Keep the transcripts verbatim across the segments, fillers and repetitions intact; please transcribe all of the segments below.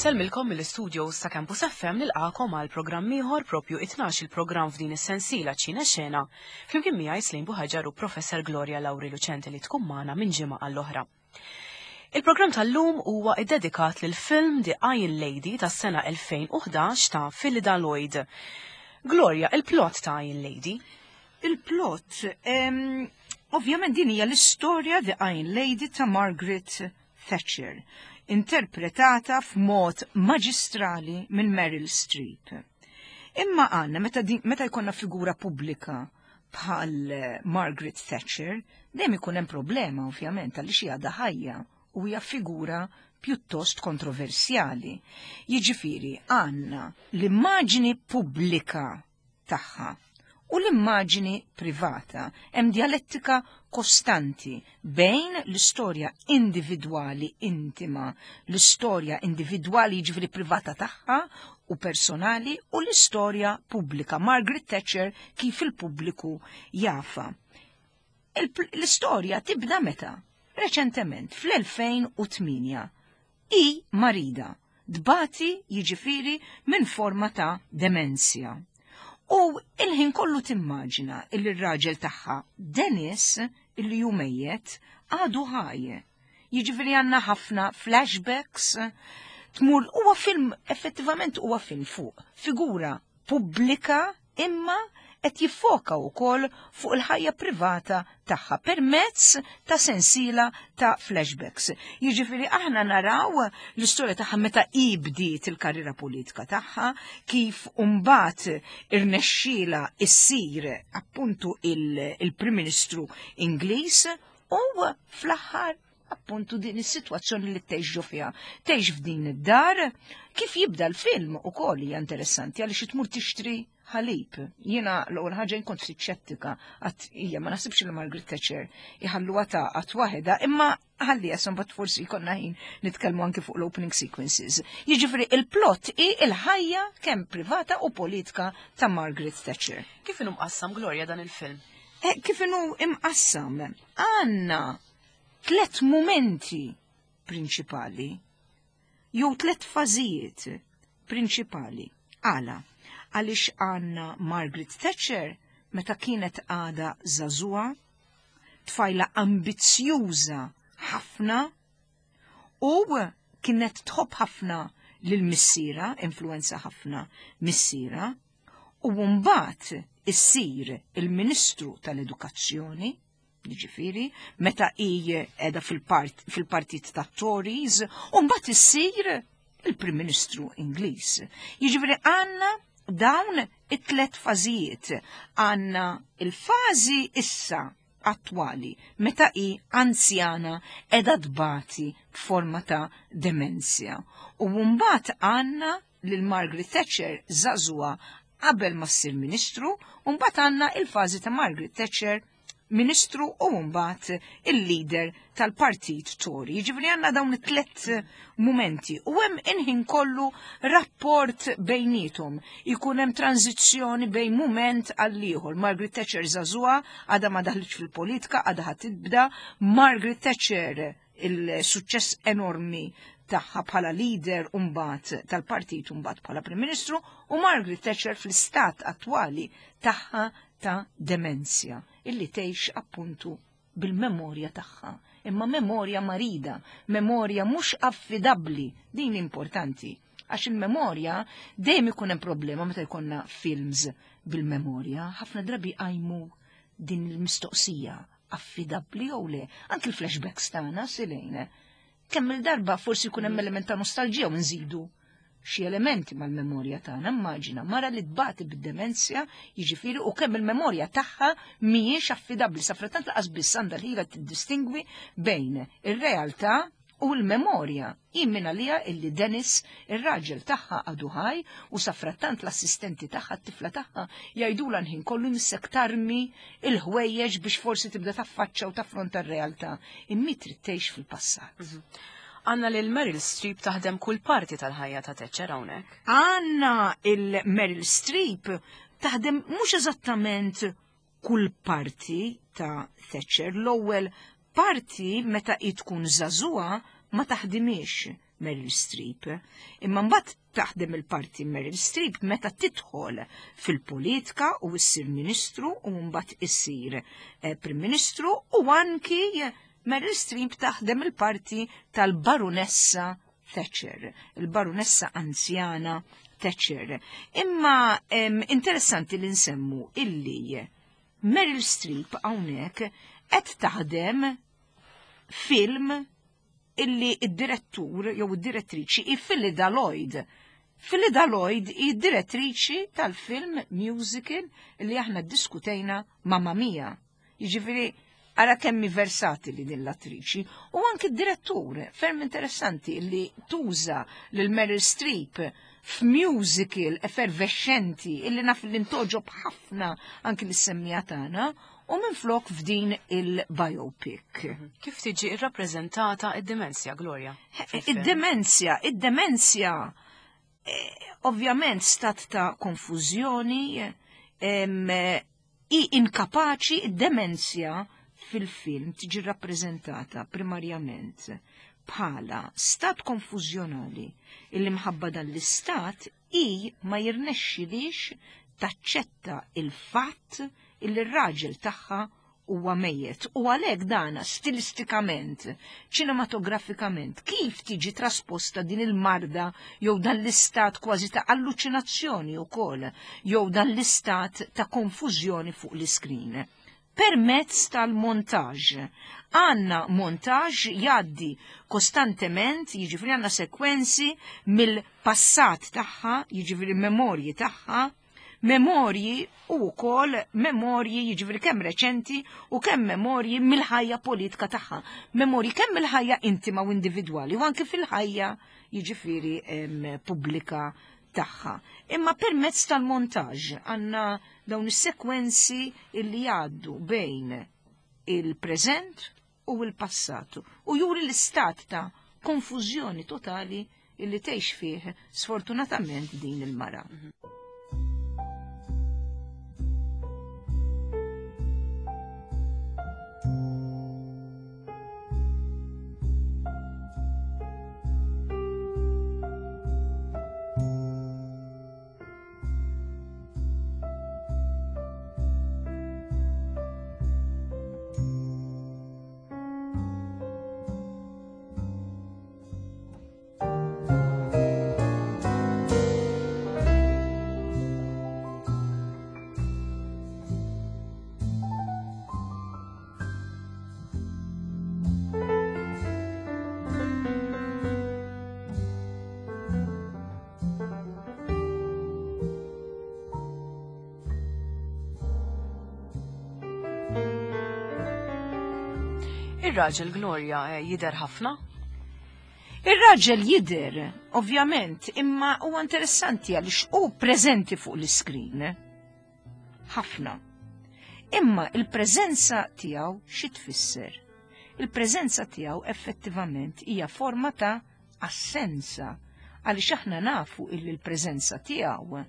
Insellmilkom mill-istudios ta' Campus F M, nilqagħkom għal programm ieħor, propju it-tnax il-programm f'din is-sensiela Ċina Xena. Flimkien miegħi Slim Buħaġar u Professor Gloria Lauri Lucente li tkun magħna minn ġimgħa għall-oħra. Il-programm tal-lum huwa iddedikat lil film The Iron Lady tas-sena elfejn u ħdax ta' Phyllida Lloyd. Gloria, il-plot ta' Iron Lady? Il-plot, em, ovvjament din hija l-istorja The Iron Lady ta' Margaret Thatcher, interpretata f'mod maġistrali minn Meryl Streep. Imma għanna, meta, din- meta jkollna figura pubblika bħal eh, Margaret Thatcher, dejjem ikun hemm problema, ovvjament, għaliex hija għadha ħajja u hija figura pjuttost kontroversjali. Jiġifieri għandna l-immaġini pubblika tagħha u l-immaġini privata. Hemm dialettika kostanti bejn l-istorja individwali intima, l-istorja individwali, jiġifieri privata tagħha u personali, u l-istorja pubblika. Margaret Thatcher kif il-pubbliku jafha. Il- L-istorja tibda meta? Reċentement, fl-elfejn u tmienja. Hi marida, tbati, jiġifieri, minn forma ta' demenzja. U il-ħin kollu timmaġina illi r-raġel tagħha Dennis, illi ju mejjet, għadu ħaj. Jiġifieri għandna ħafna flashbacks, tmur huwa film, effettivament huwa film fuq figura pubblika, imma qed jiffoka wkoll fuq il-ħajja privata tagħha permezz ta' sensiela ta' flashbacks. Jiġifieri aħna naraw l-istorja tagħha meta hi bdiet il-karriera politika tagħha, kif mbagħad irnexxiela issir appuntu il-Prim Ministru Ingliż u fl-aħħar appuntu din is-sitwazzjoni li tgħix fiha. Tgħix f'din id-dar, kif jibda l-film ukoll hija interessanti għaliex tmur tixtri ħalib. Jiena l-ewwel ħaġa kont ftit xettika, għax hija ma naħsibx li Margaret Thatcher iħalluha taqgħod waħedha, imma ħalli mbagħad forsi jkollna ħin nitkellmu anke fuq l-opening sequences. Jiġifieri il-plot hi il-ħajja kemm privata u politika ta' Margaret Thatcher. Kif inhu mqassam, Gloria, dan il-film? Eh, kif inhu imqassam? Għandna tlet momenti prinċipali, jew tlet fażijiet prinċipali. Għala? Għaliex għandna Margaret Thatcher meta kienet għada żagħżugħa, tfajla ambizzjuża ħafna u kienet tħobb ħafna lil missierha, influenza ħafna missierha, u mbagħad issir il-Ministru tal-Edukazzjoni, ġifieri, meta hi qiegħda fil-partit ta' Tories, u mbagħad issir il-Prim Ministru Ingliż. Jiġifieri għandna dawn it-tlet fażijiet. Għandna il-fażi issa attwali, meta hi anzjana, qiegħda tbati b'forma ta' demenzja. U mbagħad għandna lil Margaret Thatcher żagħżugħa qabel ma ssir ministru, u mbagħad għandna il-fażi ta' Margaret Thatcher ministru u mbagħad il-leader tal-partit Tory. Jiġifieri għandna dawn it-tlet momenti u hemm inħin kollu rapport bejnietom. Ikun hemm tranzizzjoni bejn moment għal ieħor. Margaret Thatcher żagħżugħa, għadha ma daħlitx fil-politika, għadha ħa tibda. Margaret Thatcher, il-suċċess enormi tagħha bħala leader mbagħad tal-partit, mbagħad bħala Prim Ministru, u Margaret Thatcher fl-istat attwali tagħha ta' demenzja illi tgħix appuntu bil-memorja tagħha. Imma memorja marida, memorja mhux affidabbli, din importanti. Għax il-memorja dejjem ikun hemm problema meta jkollna films bil-memorja, ħafna drabi għajmu din il-mistoqsija, affidabbli jew le. Anki l-flashbacks tagħna silejna. Kemm il-darba forsi jkun hemm element ta' nostalġija u nżidu xi elementi mal-memorja tagħna. Immaġina mara li tbati bid-demenzja, jiġifieri, u kemm il-memorja tagħha mhijiex affidabbli, sa frattant lanqas biss għandha l-ħila tiddistingwi bejn ir-realtà u l-memorja. Immin għalija illi Dennis, ir-raġel tagħha, għadu ħaj, u sa frattant l-assistenti tagħha, t-tifla tagħha, jgħidulha l-ħin kollu missek tarmi il-ħwejjeġ biex forsi tibda taffaċċa u taffronta r-realtà. Imma trid tgħix fil-passat. Mhm. Għandna lil Meryl Streep taħdem kull parti tal-ħajja ta' Thatcher hawnhekk. Għandna il-Meryl Streep taħdem mhux eżattament kull parti ta' Thatcher. L-ewwel parti meta hi tkun żagħżugħa ma taħdimix. Meryl Streep. Imma mbagħad taħdem il-parti Meryl Streep meta tidħol fil-politika u issir ministru u mbagħad issir eh, Prim Ministru, u anki Meryl Streep taħdem il-parti tal-Barunessa Thatcher, il-Barunessa anzjana Thatcher. Imma em, interessanti li nsemmu illi Meryl Streep hawnhekk qed taħdem film illi id-direttur jew id-direttriċi hi Phyllida Lloyd. Phyllida Lloyd hi direttriċi tal-film musical li aħna ddiskutejna, Mamma Mia. Jiġifieri ara kemm hi versatili din l-attriċi, u anki d-direttur ferm interessanti li tuża lil Meryl Streep f'musical effervescenti illi naf li ntogħġob ħafna anki lis-semmiegħa tagħna, u minflok f'din il-biopic. Kif tiġi irrappreżentata id-demenzja, Gloria? Id-demenzja, id-demenzja, eh, ovvjament stat ta' konfużjoni, em, i inkapaċi, id-demenzja fil-film tiġi rappreżentata primarjament bħala stat konfużjonali illi mħabba dan l-istat i ma jirnexxilix taċċetta il-fatt illi r-raġel tagħha huwa mejjet. U għalhekk dana stilistikament, ċinematografikament, kif tiġi trasposta din il-marda jew dan l-istat kważi ta' alluċinazzjoni wkoll, jew dan l-istat ta' konfużjoni fuq l-iskrin. Permezz tal-montaġ. Għanna montaġ jgħaddi kostantement, jiġifieri għanna sekwenzi mill-passat tagħha, jiġifieri memorji tagħha, memorji u wkoll memorji jiġifieri kemm reċenti u kemm memorji mill-ħajja politika tagħha, memorji kemm mill-ħajja intima u individwali u anke fil-ħajja jiġifieri pubblika tagħha. Imma permezz tal-montaġ għandna dawn is-sekwenzi illi jgħaddu bejn il-preżent u l-passat u juri l-istat ta' konfużjoni totali illi tgħix fih sfortunatament din il-mara. Ir-raġel Gloria jidher ħafna? Ir-raġel jidher, ovvjament, imma huwa interessanti għaliex hu preżenti fuq l-iskrin. Ħafna. Imma il-preżenza tiegħu xi tfisser? Il-preżenza tiegħu effettivament hija forma ta' assenza, għaliex aħna nafu illi l-preżenza tiegħu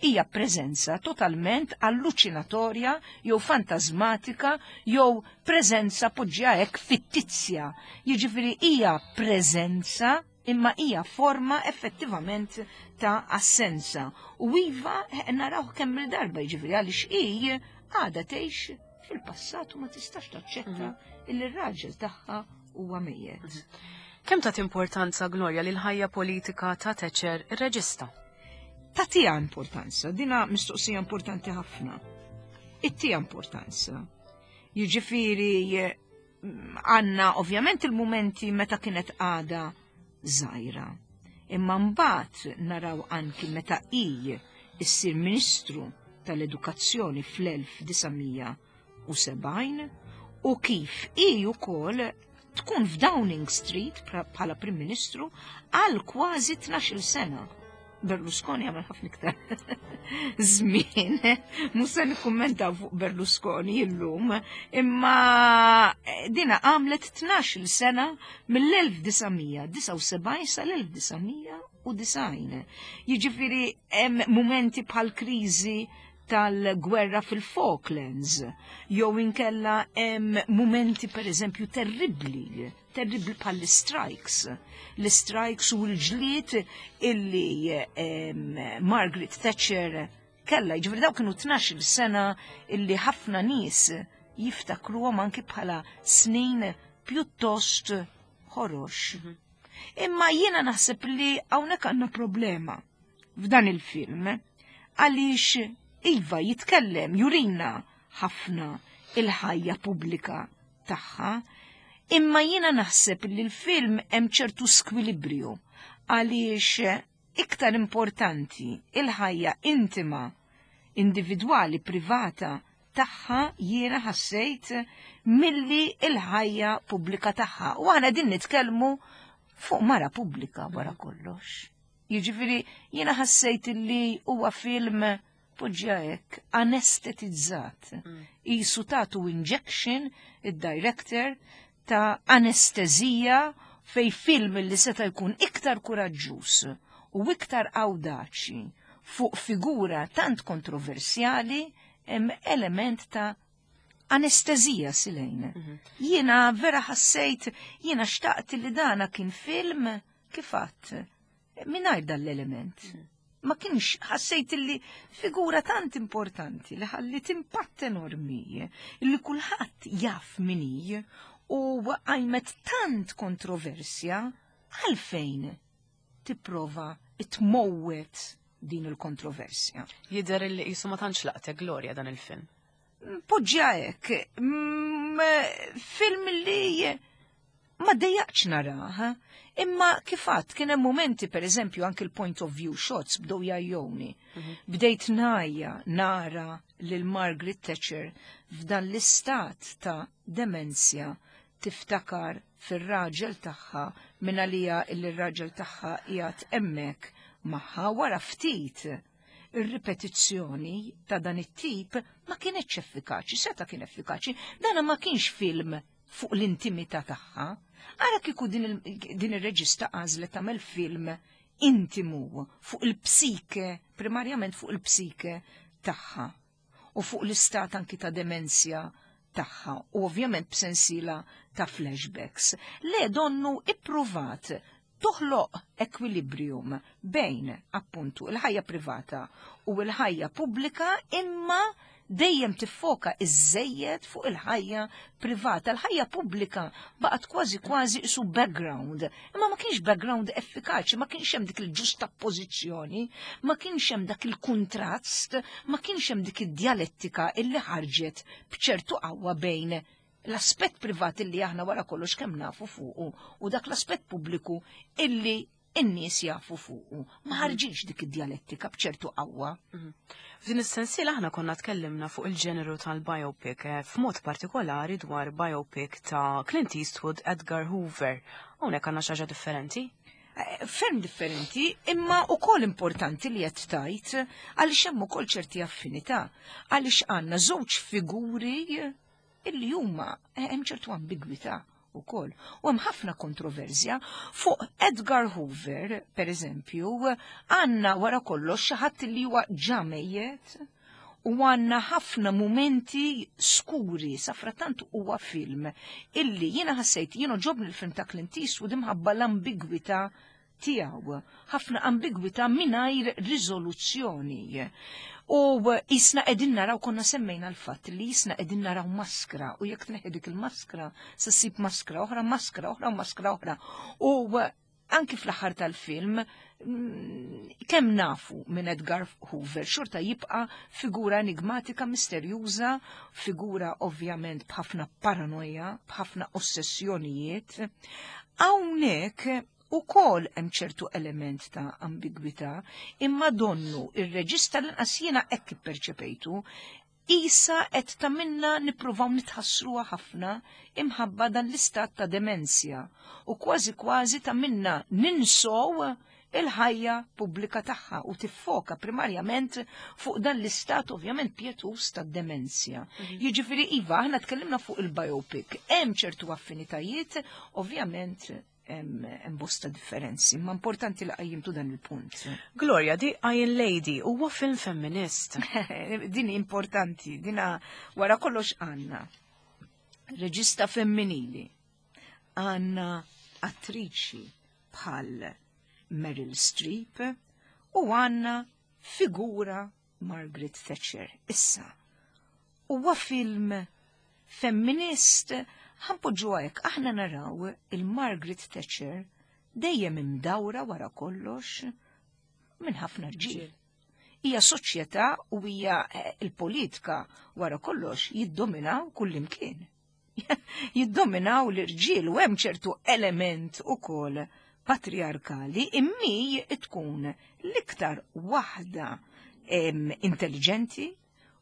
hija preżenza totalment alluċinatorja jew fantasmatika jew preżenza poġġja hekk fittizja. Jiġifieri hija preżenza imma hija forma effettivament ta' assenza. U iva naraw kemm il-darba, jiġifieri għaliex hi għadha tgħix fil-passat u ma tistax taċċetta illi r-raġel tagħha huwa mejjet. Kemm tat importanza, Gloria, lil ħajja politika ta' Thatcher ir-reġista? Tatija importanza, dina mistoqsija importanti ħafna. Ittija importanza. Jiġifieri għandna ovvjament il-mumenti meta kienet għada żgħira. Imma mbagħad naraw anki meta hi issir Ministru tal-Edukazzjoni fl-elf disa' u sebgħin u kif hi wkoll tkun f'Downing Street bħala Prim Ministru għal kważi tnax-il sena. Berlusconi għamel ħafna iktar żmien, mhux se nikkummentaw fuq Berlusconi illum, imma dina għamlet tnax-il sena mill-elf disa' mija disa' u sebgħin sal-elf disa' mija u disgħin. Jiġifieri hemm mumenti bħal kriżi tal-gwerra fil-Falklands, jew inkella hemm mumenti per eżempju terribli, terribli bħal strikes L-strikes u l-ġlied illi Margaret Thatcher kella, ġifieri daw kienu tnax-il sena illi ħafna nies jiftakruhom anki bħala snin pjuttost ħorox. Mhm. Imma jiena naħseb li hawnhekk għandna problema f'dan il-film għaliex iva jitkellem, jurina ħafna il-ħajja pubblika tagħha, imma jiena naħseb li l-film hemm ċertu skwilibrju għaliex iktar importanti il-ħajja intima, individwali, privata tagħha jiena ħassejt milli il-ħajja pubblika tagħha. U aħna din nitkellmu fuq mara pubblika wara kollox. Jiġifieri jiena ħassejt li huwa film, poġġa hekk, anestetizzat. Mm. Qisu tatu injection id-director ta' anestezija fej film li seta' jkun iktar kuraġġuż u iktar awdaċi fuq figura tant kontroversjali, hemm element ta' anestezija silejn. Mhm. Jiena vera ħassejt, jiena xtaqt li dana kien film kifat mingħajr dal-element. Mhm. Ma kienx, ħassejt li figura tant importanti li ħallit impatt enormi li kulħadd jaf min hi u għajmet tant kontroversja, għalfejn tipprova tmowwet din il-kontroversja? Jidher li qisu ma tantx laqtek, Gloria, dan il-film. Poġġa hekk, mm, film li ma dejjaqx narah, imma kifat kien hemm momenti, per eżempju, anke l-point of view shots bdew jgħajjuni. Mhm. Bdejt ngħajja nara lil Margaret Thatcher f'dan l-istat ta' demenzja tiftakar fir-raġel tagħha minn għalija il raġel tagħha qiegħed hemmhekk magħha. Wara ftit ir-ripetizzjoni ta' dan it-tip ma kienx effikaċi, seta kien effikaċi, dana ma kienx film fuq l-intimità tagħha. Ara kieku din ir-reġista għażlet tagħmel film intimu fuq il-psike, primarjament fuq il-psike tagħha u fuq l-istat anki ta' demenzja tagħha u ovvjament b'sensila ta' flashbacks. Le, donnu ippruvat toħloq equilibrium bejn appuntu il-ħajja privata u l-ħajja pubblika, imma dejjem tiffoka iżejjed fuq il-ħajja privata. Il-ħajja pubblika baqgħet kważi kważi su background, imma ma kienx background effikaċi, ma kienx hemm dik il-ġustapożizzjoni, ma kienx hemm dak il-kontrast, ma kienx hemm dik id-dialettika illi ħarġet b'ċertu qawwa bejn l-aspett privat illi aħna wara kollox kemm nafu fuqu u dak l-aspett pubbliku illi in-nies jafu fuqu. Ma ħarġitx dik id-dialettika b'ċertu qawwa. Mhm. F'din is-sensiela aħna konna tkellimna fuq il-ġeneru tal-biopic, eh, f'mod partikolari dwar biopic ta' Clint Eastwood, Edgar Hoover. Hawnhekk għandna xi ħaġa differenti. Eh, ferm differenti, imma ukoll importanti li qed tajt għaliex hemm ukoll ċerti affinità, għaliex għandna żewġ figuri illi huma eh, hemm ċertu ambigwità ukoll. U hemm ħafna kontroversja fuq Edgar Hoover, per eżempju, għandna wara kollox xi ħadd li huwa ġa mejjet u għandna ħafna momenti skuri. Safrattant huwa film illi jiena ħassejt, jiena għoġobni l-film ta' Clint Eastwood imħabba l-ambigwità tiegħu, ħafna ambigwità mingħajr riżoluzzjoni. U qisna qegħdin naraw, konna semmejna l-fatt li qisna qegħdin naraw maskra u jekk tneħħi dik il-maskra se ssib maskra oħra, maskra oħra u maskra oħra. U anki fl-aħħar tal-film, mm, kemm nafu minn Edgar Hoover, xorta jibqa' figura enigmatika, misterjuża, figura ovvjament b'ħafna paranoja, b'ħafna ossessjonijiet. Hawnhekk ukoll hemm ċertu element ta' ambigwità, imma donnu ir-reġista, l-inqas jiena hekk ipperċepejtu, qisha qed tagħmilna nippruvaw nitħassruha ħafna imħabba dan l-istat ta' demenzja u kważi kważi tagħmilna ninsow il-ħajja pubblika tagħha u tiffoka primarjament fuq dan l-istat ovvjament pietus ta' demenzja. Mhm. Jiġifieri iva, aħna tkellimna fuq il-biopic, hemm ċertu affinitajiet, ovvjament. Hemm bosta differenzi, ma importanti li qajjimtu dan il-punt. Gloria, The Iron Lady huwa film femminist. Din importanti, dina wara kollox għandna reġista femminili, għandna attriċi bħal Meryl Streep u għandna figura Margaret Thatcher. Issa, huwa film femminist, ħa npoġġu hekk, aħna naraw il-Margaret Thatcher dejjem imdawra wara kollox minn ħafna rġiel. Hija soċjetà u hija il-politika wara kollox jiddominaw kullimkien. Jiddominaw l-irġiel u hemm ċertu element ukoll patriarkali immi tkun l-iktar waħda intelligenti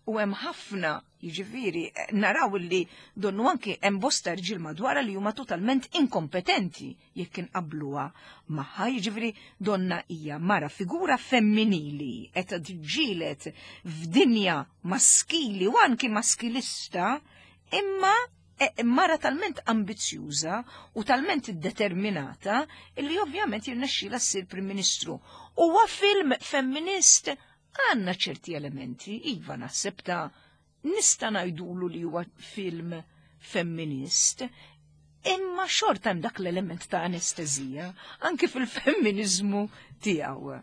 u hemm ħafna, jiġifieri naraw li donnu anki hemm bosta rġiel madwara li huma totalment inkompetenti jekk inqabluha magħha, jiġifieri donna hija mara figura femminili qed tiġġieled f'dinja maskili u anki maskilista, imma mara talment ambizzjuża u talment determinata illi ovvjament jirnexxilha ssir Prim Ministru. Huwa film femminist, għandna ċerti elementi, iva naħseb ta' nista' ngħidulu li huwa film femminist, imma xorta hemm dak l-element ta' anestezija anke fil-femminizmu tiegħu.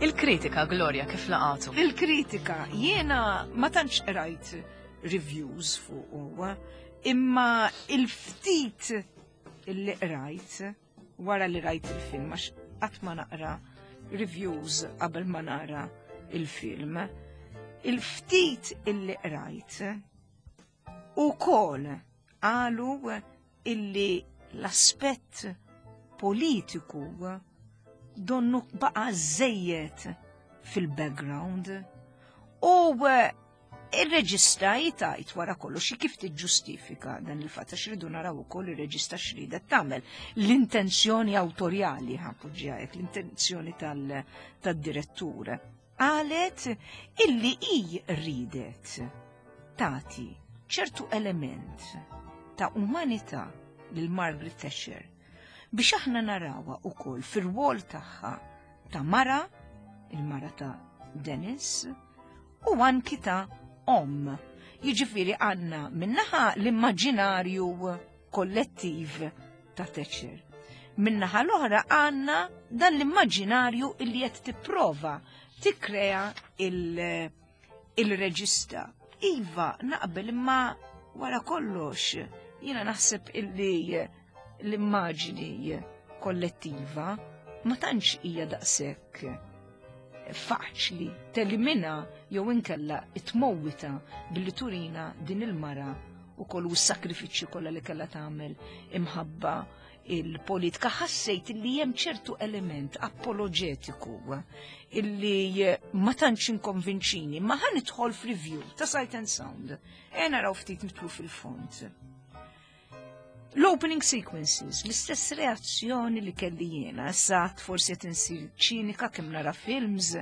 Il-kritika, Gloria, kif laqatu? Il-kritika, jiena ma tantx rajt reviews fuq huwa, imma il-ftit illi rajt wara li rajt il-film, għax qatt ma naqra reviews qabel ma nara il-film, il-ftit illi rajt ukoll qalu illi l-aspett politiku donnu baqa żejjed fil-background u il-reġista jitajt wara kollox kif tiġġustifika dan il-fatt, għax rridu naraw ukoll ir-reġista x'ridet tagħmel, l-intenzjoni awtorjali ħa npoġġiha hekk, l-intenzjoni tad-direttur. Qalet illi hi ridet tagħti ċertu element ta' umanità lil Margaret Thatcher biex aħna narawha ukoll fir-rwol tagħha ta' mara, il-mara ta' Dennis, u anki ta' om. Jiġifieri għandna minnaħa l-immaġinarju kollettiv ta' Thatcher. Minnaħa l-oħra għandna dan l-immaġinarju illi qed tipprova tikkrea il-reġista. Iva, naqbel, imma wara kollox jiena naħseb illi l-immaġini kollettiva ma tantx hija daqshekk Faċli telimina jew inkella tmowwitha billi turina din il-mara u kollu s-sakrifiċċji kollha li kellha tagħmel imħabba il-politika. Ħassejt illi hemm ċertu element apologetiku illi ma tantx inkonvinċini, ma ħa nidħol f'review ta' Sight and Sound. E naraw ftit nidħlu fil-fond. L-opening sequences, l-istess reazzjoni li kelli jiena, sa forsi qed insir ċinika kemm nara films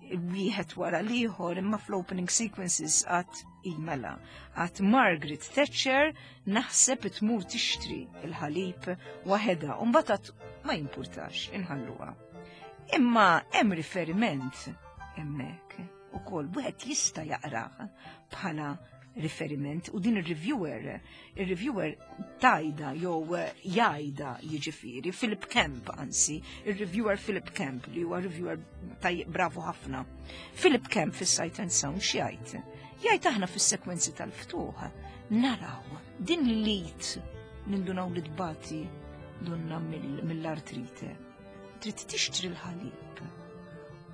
wieħed wara l-ieħor, imma fl-opening sequences għat imela. Għat Margaret Thatcher naħseb tmur tixtri il-ħalib waħedha, u mbagħad ma jimpurtax, inħalluha. Imma hemm riferiment hemmhekk ukoll wieħed jista' jaqrah bħala riferiment u din il-reviewer, il-reviewer tajda jew jajda jiġifieri, Philip Kemp anzi, il-reviewer Philip Kemp li huwa reviewer taj bravo ħafna. Philip Kemp fis-Sight and Sound x'jgħid? Jgħid aħna fis-sekwenzi tal-ftuħ naraw din l-id nindunaw li tbati donna mill-artrite. Trid tixtri l-ħalib.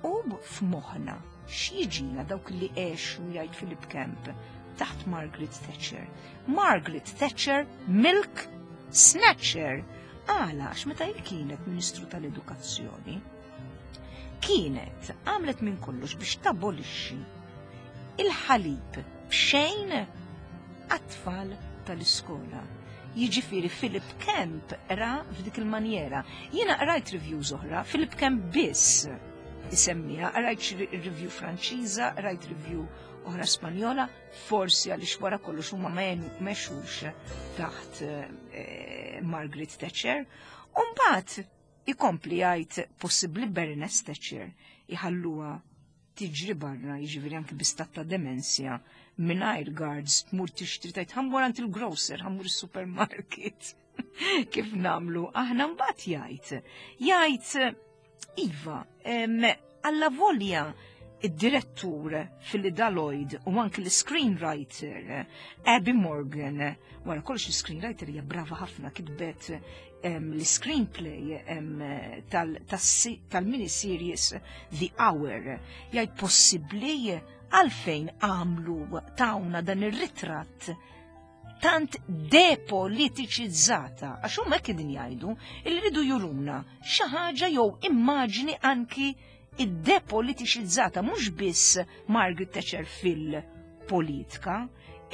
U f'moħħna x'jiġina dawk li għexu jgħid Philip Kemp taħt Margaret Thatcher. Margaret Thatcher, Milk Snatcher. Għala, għax meta hi kienet Ministru tal-Edukazzjoni, kienet għamlet minn kollox biex tabolixxi il-ħalib b'xejn għat-tfal tal-iskola. Jiġifieri Philip Kemp ra f'dik il-manjera. Jiena rajt reviews oħra, Philip Kemp biss isemmiha, rajt review Franċiża, rajt review oħra Spanjola, forsi għaliex wara kollox huma ma mexux taħt eh, Margaret Thatcher. Umbagħad ikompli jgħid possibbli Baroness Thatcher iħalluha tiġri barra, jiġifieri anki bi stat ta' demenzja, mingħajr guards tmur tixtri tajt ħa mmur għand il-grocer, ħa mmur il-supermarket. Kif nagħmlu? Aħna mbagħad jgħid. Jgħid iva, alla volja id-direttur Philip Lloyd u anki l-screenwriter Abby Morgan, wara kollox l-screenwriter hija brava ħafna kitbet l-screenplay tal-miniseries The Hour, jgħid possibbli għalfejn għamlu tawna dan ir-ritratt tant depolitiċizzata, għax huma hekk qegħdin jgħidu li rridu juruna xi ħaġa jew immaġni anki id-depolitiċizzata mhux biss Margaret Thatcher fil-politika,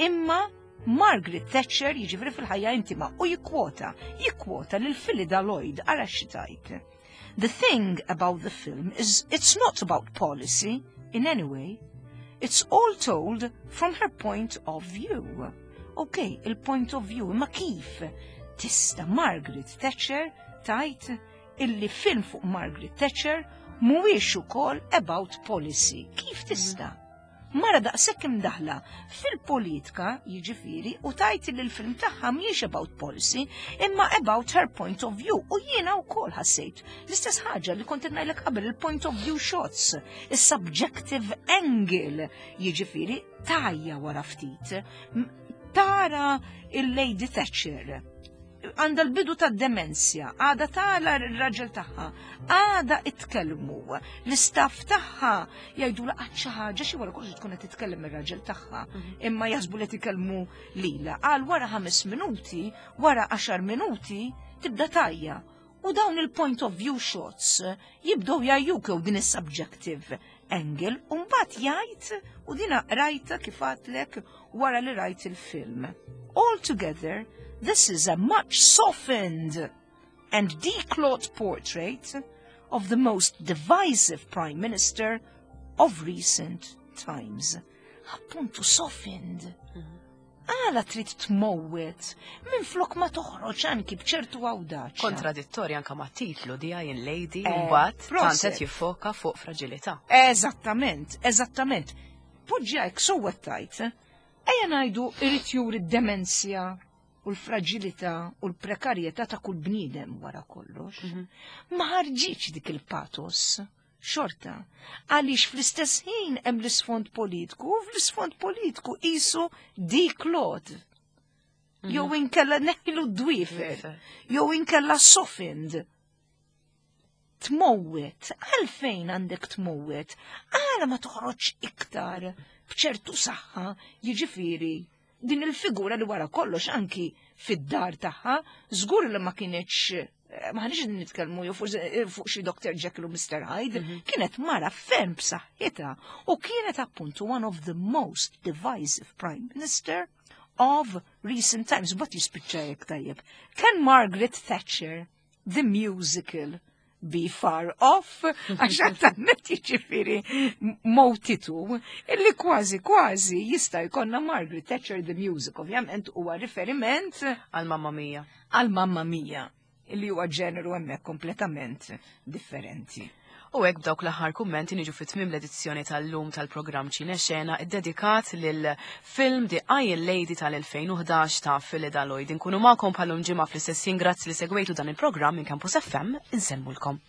imma Margaret Thatcher jiġifieri fil-ħajja intima u jikkwota, jikkwota lil Philip Lloyd ara xi tgħid. The thing about the film is it's not about policy in any way. It's all told from her point of view. Ok, il-point of view, imma kif tista' Margaret Thatcher tajt illi film fuq Margaret Thatcher mhuwiex ukoll about policy? Kif tista'? Mara daqshekk imdaħla fil-politika jiġifieri u tajt li l-film tagħha mhijiex about policy imma about her point of view u jiena wkoll ħassejt l-istess ħaġa li kont ngħidlek qabel il-point of view shots, is-subjective angle jiġifieri tajja wara ftit. Tara il-Lady Thatcher għandha l-bidu ta' demenzja, għada tala r-raġel tagħha, għada itkellmu, l-istaff tagħha jgħidu laqat xi ħaġa xi wara kollox tkun qed titkellem ir-raġel tagħha, imma jaħsbu li titkellmu lila. Għal wara ħames minuti, wara għaxar minuti, tibda tajja. U dawn il-point of view shots jibdew jgħajjuk jew din is-subjective angle, u mbagħad jgħid u dina rajta kif għedtlek wara li rajt il-film. Altogether, this is a much softened and declawed portrait of the most divisive prime minister of recent times. Appuntu softened. Għala trid tmowwet minn flok ma toħroġ anki bċertu awdaċ. Kontradittorja anka ma' titlu The Iron Lady, Eh, mbagħad proset. tant qed jiffoka fuq fragilità. Eżattament, eżattament. Poġġi hekk sewwa tajt. Ejja ngħidu irid juri d-demenzja u l-fragilità u l-prekarjetà ta' kull bniedem wara kollox. Ma ħarġitx dik il-patos. Xorta, għaliex fl-istess ħin hemm l-isfond politiku u fl-isfond politiku qisu declawed. Jew inkella neħilu d-dwifer, jew inkella softened. Tmowet, għalfejn għandek tmowet? Għala ma toħroġ iktar bċertu saħħa, jiġifieri din il-figura li wara kollox anki fid-dar tagħha, żgur li ma kienx, m'aħniex nitkellmu jew fuq xi Doctor Jekyll u Mister Hyde, mhm. kienet mara ferm b'saħħitha u kienet appuntu one of the most divisive prime minister of recent times, but jispiċċa jekk tajjeb. Can Margaret Thatcher, the musical, be far off? Għax għattannet jiġifieri mowtitu, illi kważi kważi jista' jkollna Margaret Thatcher the Music, ovvjament huwa riferiment għal Mamma Mia. Għal Mamma Mia, illi huwa ġeneru hemmhekk kompletament differenti. U hekk b'dawk l-aħħar kummenti niġu fit tmiem l-edizzjoni tal-lum tal-programm Ċinexena iddedikat lil film The Iron Lady tal-elfejn u ħdax ta' Phyllida Lloyd. Inkunu magħkom bħal-lum ġimgħa fl-istess. Grazzi li segwejtu dan il-programm minn Campus F M, insellmulkom.